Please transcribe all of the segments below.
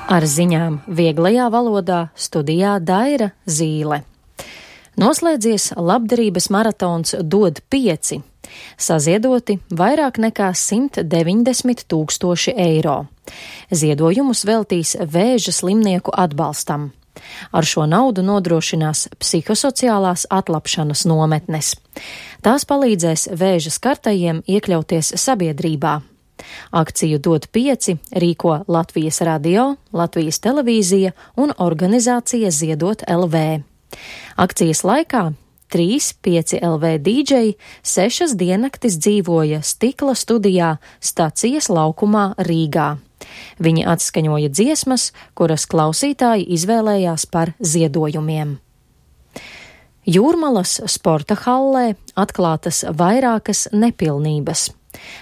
Ar ziņām vieglajā valodā studijā Daira Zīle. Noslēdzies labdarības maratons Dod 5. Saziedoti vairāk nekā 190 000 eiro. Ziedojumus veltīs vēža slimnieku atbalstam. Ar šo naudu nodrošinās psihosociālās atlapšanas nometnes. Tās palīdzēs vēža skartajiem iekļauties sabiedrībā. Akciju Dod 5 rīko Latvijas radio, Latvijas televīzija un organizācija Ziedot LV. Akcijas laikā 3-5 LV dīdžeji 6 diennaktis dzīvoja Stikla studijā Stacijas laukumā Rīgā. Viņi atskaņoja dziesmas, kuras klausītāji izvēlējās par ziedojumiem. Jūrmalas sporta hallē atklātas vairākas nepilnības.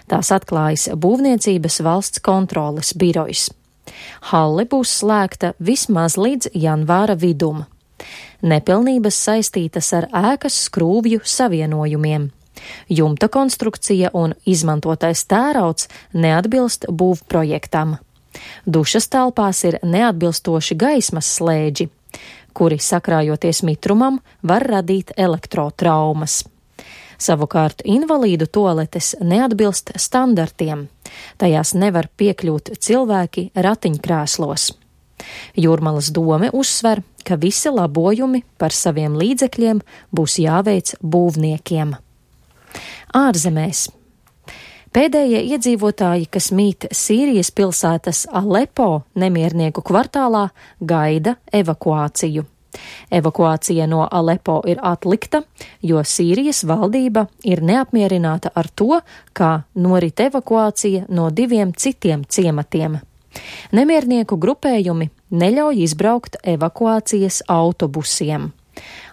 Tās atklājas Būvniecības valsts kontroles birojs. Halle būs slēgta vismaz līdz janvāra vidum. Nepilnības saistītas ar ēkas skrūvju savienojumiem. Jumta konstrukcija un izmantotais tērauds neatbilst būvprojektam. Dušas telpās ir neatbilstoši gaismas slēdži, kuri sakrājoties mitrumam var radīt elektrotraumas. Savukārt invalīdu toaletes neatbilst standartiem. Tajās nevar piekļūt cilvēki ratiņkrēslos. Jūrmalas dome uzsver, ka visi labojumi par saviem līdzekļiem būs jāveic būvniekiem. Ārzemēs. Pēdējie iedzīvotāji, kas mīt Sīrijas pilsētas Alepo nemiernieku kvartālā, gaida evakuāciju. Evakuācija no Alepo ir atlikta, jo Sīrijas valdība ir neapmierināta ar to, kā norit evakuācija no 2 citiem ciematiem. Nemiernieku grupējumi neļauj izbraukt evakuācijas autobusiem.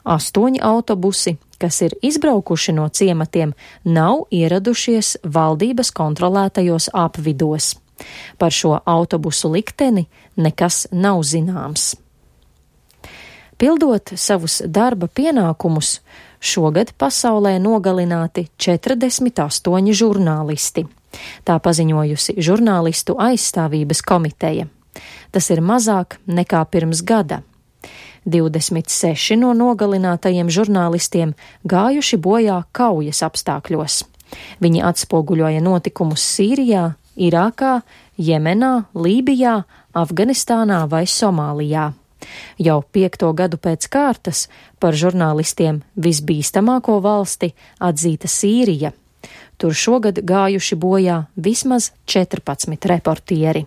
8 autobusi, kas ir izbraukuši no ciematiem, nav ieradušies valdības kontrolētajos apvidos. Par šo autobusu likteni nekas nav zināms. Pildot savus darba pienākumus, šogad pasaulē nogalināti 48 žurnālisti. Tā paziņojusi Žurnālistu aizstāvības komiteja. Tas ir mazāk nekā pirms gada. 26 no nogalinātajiem žurnālistiem gājuši bojā kaujas apstākļos. Viņi atspoguļoja notikumus Sīrijā, Irākā, Jemenā, Lībijā, Afganistānā vai Somālijā. Jau 5. gadu pēc kārtas par žurnālistiem visbīstamāko valsti atzīta Sīrija. Tur šogad gājuši bojā vismaz 14 reportieri.